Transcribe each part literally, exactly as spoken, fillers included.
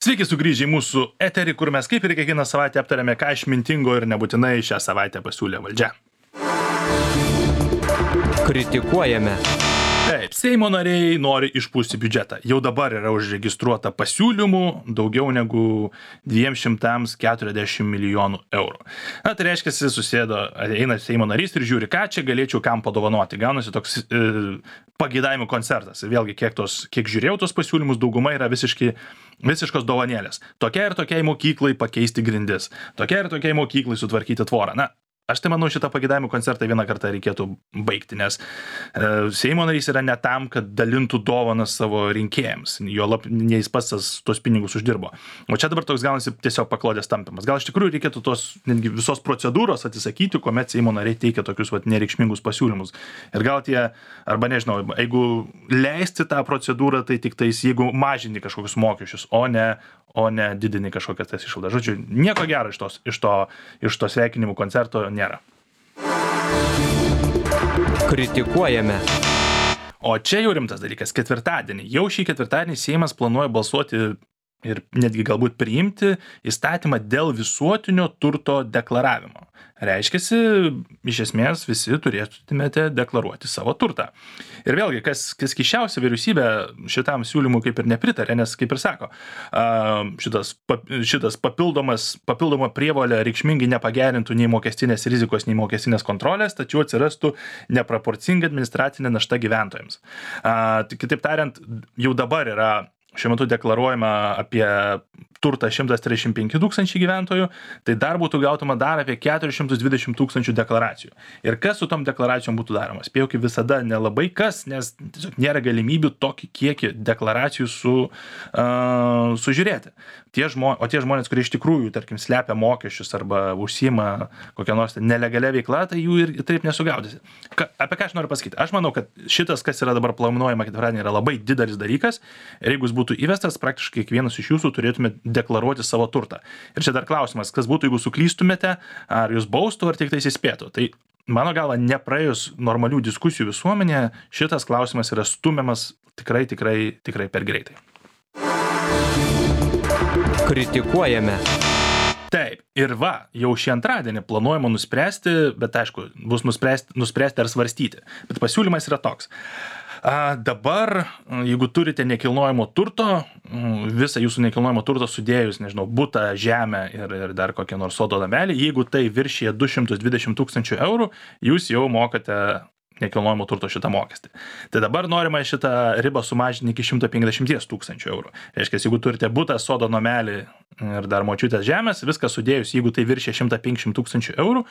Sveiki sugrįžę į mūsų eterį, kur mes kaip ir kiekvieną savaitę aptarėme, ką išmintingo ir nebūtinai šią savaitę pasiūlė valdžia. Kritikuojame. Taip, Seimo nariai nori išpūsti biudžetą. Jau dabar yra užregistruota pasiūlymų daugiau negu dviem šimtams keturiasdešimt milijonų eurų. Na, tai reiškia, susėdo, eina Seimo narys ir žiūri, ką čia galėčiau kam padovanoti. Gaunasi toks e, pageidavimų koncertas. Ir vėlgi, kiek, tos, kiek žiūrėjau tos pasiūlymus, dauguma yra visiškai, visiškos dovanėlės. Tokia ir tokiai mokyklai pakeisti grindis. Tokia ir tokiai mokyklai sutvarkyti tvorą. Na, aš tai manau, šitą pageidavimų koncertą vieną kartą reikėtų baigti, nes e, Seimo narys yra ne tam, kad dalintų dovanas savo rinkėjams, jo lab, ne jis pats tos pinigus uždirbo. O čia dabar toks gaunasi tiesiog paklodės tampimas. Gal iš tikrųjų reikėtų tos netgi visos procedūros atsisakyti, kuomet Seimo nariai teikia tokius vat, nereikšmingus pasiūlymus. Ir gal tie, arba nežinau, jeigu leisti tą procedūrą, tai tik tais, jeigu mažini kažkokius mokesčius, o ne o ne didini kažkokias tas išlaidas. Žodžiu, nieko gero iš, tos, iš, to, iš to sveikinimų koncerto nėra. Kritikuojame. O čia jau rimtas dalykas. Ketvirtadienį. Jau šį ketvirtadienį Seimas planuoja balsuoti ir netgi galbūt priimti įstatymą dėl visuotinio turto deklaravimo. Reiškiasi, iš esmės visi turėtumėte deklaruoti savo turtą. Ir vėlgi, kas, kas keisčiausia, vyriausybė šitam siūlymui kaip ir nepritarė, nes kaip ir sako, šitas, šitas papildomas, papildoma prievolė reikšmingai nepagerintų nei mokestinės rizikos, nei mokestinės kontrolės, tačiau atsirastų neproporcinga administracinė našta gyventojams. Kitaip tariant, jau dabar yra šiuo metu deklaruojama apie turtą šimtas trisdešimt penki tūkstančiai gyventojų, tai dar būtų gautama dar apie keturis šimtus dvidešimt tūkstančių deklaracijų. Ir kas su tom deklaracijom būtų daroma? Spėjau, kaip visada nelabai kas, nes tiesiog nėra galimybių tokį kiekį deklaracijų su, uh, sužiūrėti. Tie žmo, o tie žmonės, kurie iš tikrųjų, tarkim, slepia mokesčius arba užsiima kokią nors nelegalia veikla, tai jų ir taip nesugaudysi. Ka, apie ką aš noriu pasakyti? Aš manau, kad šitas, kas yra dabar planuojama ketvirtadienį, yra labai didelis dalykas. Ir jeigu jis būtų įvestas, praktiškai kiekvienas iš jūsų turėtume deklaruoti savo turtą. Ir čia dar klausimas, kas būtų, jeigu suklystumėte, ar jūs baustų, ar tik tais įspėtų. Tai mano galva, nepraėjus normalių diskusijų visuomenėje, šitas klausimas yra stumiamas tikrai, tikrai, tikrai per greitai. Kritikuojame. Taip, ir va, jau šį antradienį planuojama nuspręsti, bet aišku, bus nuspręsti, nuspręsti ar svarstyti. Bet pasiūlymas yra toks. A, dabar, jeigu turite nekilnojamo turto, visą jūsų nekilnojamo turto sudėjus, nežinau, butą, žemę ir, ir dar kokią nors sodo namelį, jeigu tai viršyje du šimtus dvidešimt tūkstančių eurų, jūs jau mokate nekilnojamo turto šitą mokestį. Tai dabar norima šitą ribą sumažinti iki šimto penkiasdešimt tūkstančių eurų. Reiškia, jeigu turite butą, sodo namelį ir dar močiutės žemės, viską sudėjus, jeigu tai viršė šimtą penkiasdešimt tūkstančių eurų,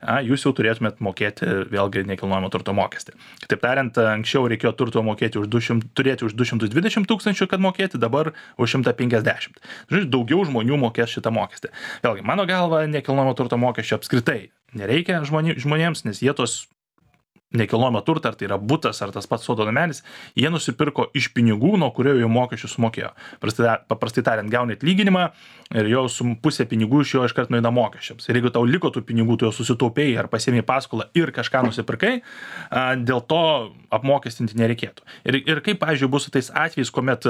a, jūs jau turėtumėt mokėti vėlgi nekilnojamo turto mokestį. Kitaip tariant, anksčiau reikėjo turto mokėti už du šimtus, turėti už du šimtus dvidešimt tūkstančių, kad mokėti, dabar už šimtą penkiasdešimt. Žodžiu, daugiau žmonių mokės šitą mokestį. Vėlgi, mano galva, nekilnojamo turto mokesčio apskritai nereikia žmoni, žmonėms, nes jie tos nekilnojamą turtą, ar tai yra butas, ar tas pats sodo namelis, jie nusipirko iš pinigų, nuo kurio jau mokesčius sumokėjo. Paprastai, paprastai tariant, gauni atlyginimą ir jau su pusė pinigų iš jo iškart nueina mokesčiams. Ir jeigu tau liko tų pinigų, tu jau susitaupėjai ar pasiėmei paskolą ir kažką nusipirkai, dėl to apmokestinti nereikėtų. Ir, ir kaip, pavyzdžiui, bus su tais atvejais, kuomet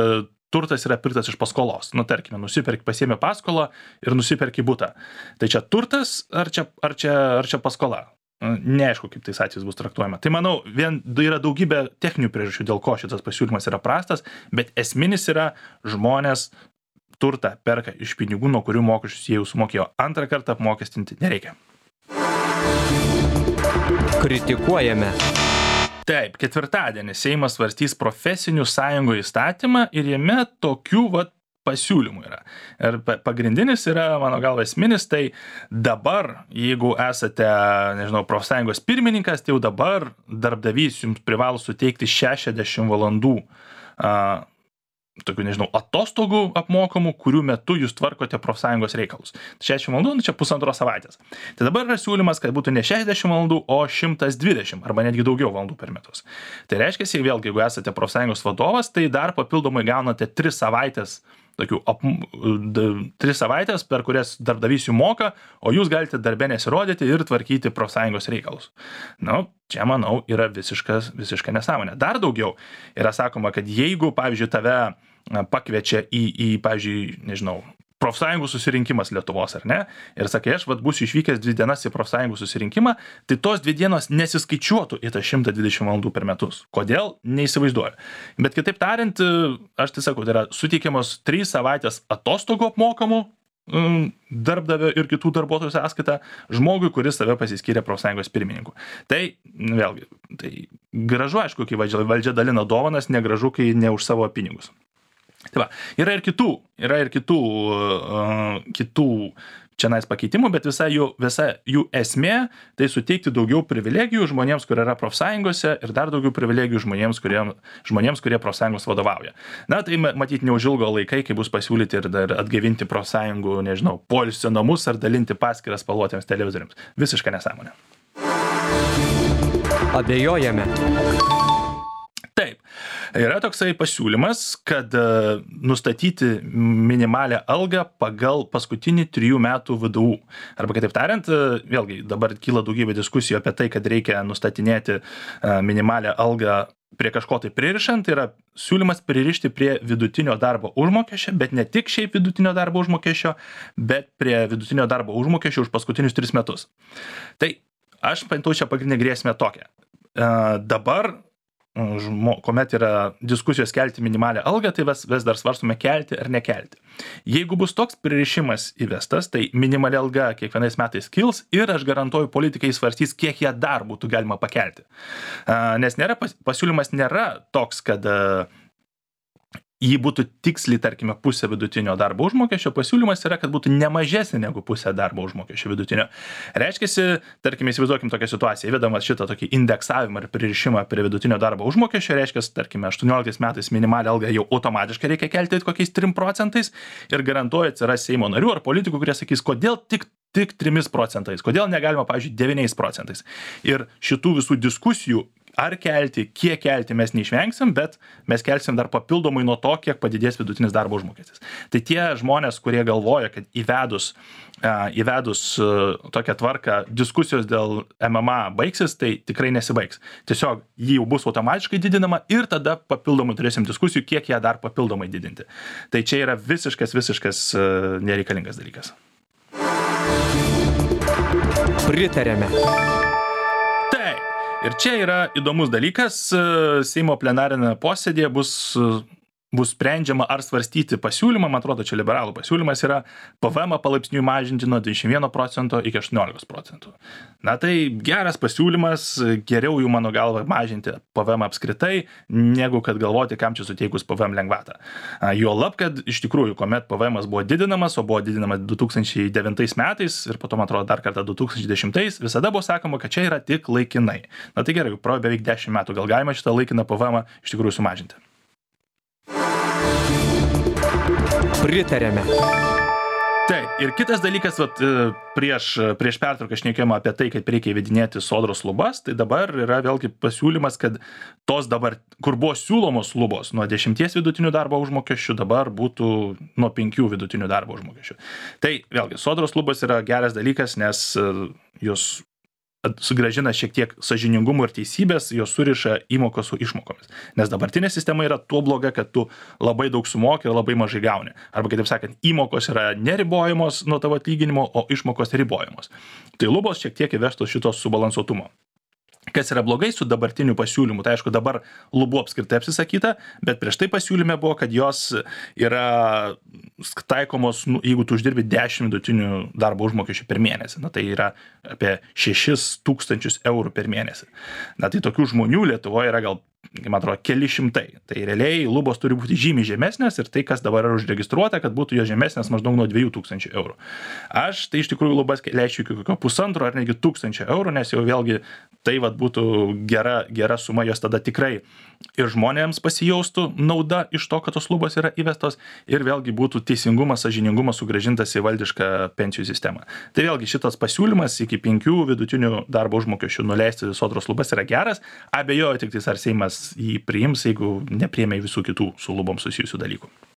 turtas yra pirktas iš paskolos. Nu, tarkime, nusiperki, pasiėmė paskolą ir nusiperki butą. Tai čia turtas ar čia, ar čia, ar čia paskola? Neaišku, kaip tais atvejais bus traktuojama. Tai manau, vien yra daugybė techninių priežasčių, dėl ko šitas pasiūlymas yra prastas, bet esminis yra žmonės turtą perka iš pinigų, nuo kurių mokesčius jie jau sumokėjo. Antrą kartą apmokestinti nereikia. Kritikuojame. Taip, ketvirtadienį Seimas svarstys profesinių sąjungų įstatymą ir jame tokių vat pasiūlymų yra. Ir pagrindinis yra, mano galva, esminis, tai dabar, jeigu esate, nežinau, profsąjungos pirmininkas, tai jau dabar darbdavys jums privalo suteikti šešiasdešimt valandų a, tokių, nežinau, atostogų apmokamų, kurių metu jūs tvarkote profsąjungos reikalus. šešiasdešimt valandų, nu čia pusantros savaitės. Tai dabar yra siūlymas, kad būtų ne šešiasdešimt valandų, o šimtas dvidešimt arba netgi daugiau valandų per metus. Tai reiškia, jeigu vėlgi, jeigu esate profsąjungos vadovas, tai dar papildomai gaunate tris savaitės tokių ap, d, tris savaitės, per kurias darbdavys jų moka, o jūs galite darbe nesirodyti ir tvarkyti profsąjungos reikalus. Nu, čia, manau, yra visiškas, visiška nesąmonė. Dar daugiau yra sakoma, kad jeigu, pavyzdžiui, tave pakviečia į, į pavyzdžiui, nežinau, profsąjungų susirinkimas Lietuvos, ar ne? Ir sakai, aš vat būsiu išvykęs dvi dienas į profsąjungų susirinkimą, tai tos dvi dienos nesiskaičiuotų į tą šimtą dvidešimt valandų per metus. Kodėl? Neįsivaizduoju. Bet kitaip tariant, aš tai sakau, tai yra suteikiamos trys savaitės atostogų apmokamų darbdavio ir kitų darbuotojų sąskaita žmogui, kuris save pasiskyrė profsąjungos pirmininku. Tai, vėlgi, tai gražu, aišku, kai valdžia, valdžia dalina dovanas, negražu, kai ne už savo pinigus. Tai va, yra ir kitų, yra ir kitų, uh, kitų čianais pakeitimų, bet visa jų, visa jų esmė tai suteikti daugiau privilegijų žmonėms, kurie yra profsąjungose ir dar daugiau privilegijų žmonėms, kurie, žmonėms, kurie profsąjungos vadovauja. Na, tai matyti neužilgo laikai, kai bus pasiūlyti ir dar atgaivinti profsąjungų, nežinau, poilsio namus ar dalinti paskiras spalvotiems televizoriams. Visiška nesąmonė. Abejojame. Taip, yra toksai pasiūlymas, kad nustatyti minimalią algą pagal paskutinį trijų metų V D U. Arba kitaip tariant, vėlgi dabar kyla daugybė diskusijų apie tai, kad reikia nustatinėti minimalią algą prie kažko tai pririšant, tai yra siūlymas pririšti prie vidutinio darbo užmokesčio, bet ne tik šiaip vidutinio darbo užmokesčio, bet prie vidutinio darbo užmokesčio už paskutinius tris metus. Tai aš pantau čia pagrindinę grėsmę tokią. Dabar Žmo, kuomet yra diskusijos kelti minimalią algą, tai vis, vis dar svarstume kelti ar nekelti. Jeigu bus toks pririšimas įvestas, tai minimali alga kiekvienais metais kils ir aš garantuoju, politikai svarstys, kiek ją dar būtų galima pakelti. Nes nėra, pasiūlymas nėra toks, kad jį būtų tiksliai, tarkime, pusė vidutinio darbo užmokesčio, pasiūlymas yra, kad būtų nemažesnė negu pusė darbo užmokesčio vidutinio. Reiškiasi, tarkime, įsivaizduokim tokią situaciją, įvedamas šitą tokį indeksavimą ir pririšimą prie vidutinio darbo užmokesčio, reiškiasi, tarkime, aštuonioliktais metais minimalią algą jau automatiškai reikia kelti kokiais trim procentais ir garantuoja atsiras Seimo narių ar politikų, kurie sakys, kodėl tik tik trimis procentais, kodėl negalima, pavyzdžiui, devyniais procentais. Ir šitų visų diskusijų ar kelti, kiek kelti mes neišvengsim, bet mes kelsim dar papildomai nuo to, kiek padidės vidutinis darbo užmokestis. Tai tie žmonės, kurie galvoja, kad įvedus, uh, įvedus uh, tokią tvarką diskusijos dėl M M A baigsis, tai tikrai nesibaigs. Tiesiog jį jau bus automatiškai didinama ir tada papildomai turėsim diskusijų, kiek ją dar papildomai didinti. Tai čia yra visiškas, visiškas uh, nereikalingas dalykas. Pritarėme. Taip. Ir čia yra įdomus dalykas, Seimo plenarinėme posėdėje bus, bus sprendžiama ar svarstyti pasiūlymą, man atrodo, čia liberalų pasiūlymas yra P V M palaipsniui mažinti nuo dvidešimt vieno procento iki aštuoniolikos procentų. Na tai geras pasiūlymas, geriau jų mano galva mažinti P V M apskritai, negu kad galvoti, kam čia suteikus P V M lengvatą. Juolab, kad iš tikrųjų, kuomet P V M buvo didinamas, o buvo didinamas du tūkstančiai devintais metais ir po to, man atrodo, dar kartą du tūkstančiai dešimtais, visada buvo sakoma, kad čia yra tik laikinai. Na tai gerai, praėjo beveik dešimt metų, gal galima šitą laikiną P V M iš tikrųjų sumažinti. Pritarėme. Taip, ir kitas dalykas, vat, prieš, prieš pertrauką šnekėjome apie tai, kaip reikia įvedinėti sodros lubas, tai dabar yra vėlgi pasiūlymas, kad tos dabar, kur buvo siūlomos lubos nuo dešimties vidutinių darbo užmokesčių, dabar būtų nuo penkių vidutinių darbo užmokesčių. Tai vėlgi, sodros lubas yra geras dalykas, nes jos sugrąžina šiek tiek sąžiningumo ir teisybės, jos suriša įmokos su išmokomis. Nes dabartinė sistema yra tuo bloga, kad tu labai daug sumoki ir labai mažai gauni. Arba, kitaip sakant, įmokos yra neribojamos nuo tavo atlyginimo, o išmokos ribojamos. Tai lubos šiek tiek įvestos šitos subalansuotumo. Kas yra blogai su dabartiniu pasiūlymu, tai aišku, dabar lubų apskritai apsisakyta, bet prieš tai pasiūlyme buvo, kad jos yra taikomos, nu, jeigu tu uždirbi dešimt vidutinių darbo užmokesčių per mėnesį. Na, tai yra apie šešis tūkstančius eurų per mėnesį. Na, tai tokių žmonių Lietuvoje yra gal, man atrodo, keli šimtai. Tai realiai lubos turi būti žymiai žemesnės ir tai, kas dabar yra užregistruota, kad būtų jo žemesnės maždaug nuo dviejų tūkstančių eurų. Aš tai iš tikrųjų lubas leisčiau iki kokio pusantro ar negi tūkstančio eurų, nes jau vėlgi tai vat būtų gera, gera suma, jos tada tikrai ir žmonėms pasijaustų nauda iš to, kad tos lubos yra įvestos ir vėlgi būtų teisingumas, sąžiningumas sugrąžintas į valdišką pensijų sistemą. Tai vėlgi šitas pasiūlymas iki penkių vidutinių darbo užmokesčių nuleisti sodros lubas yra geras. Abejoju tik tais, ar Seimas jį priims, jeigu nepriėmė visų kitų su lubom susijusių dalykų.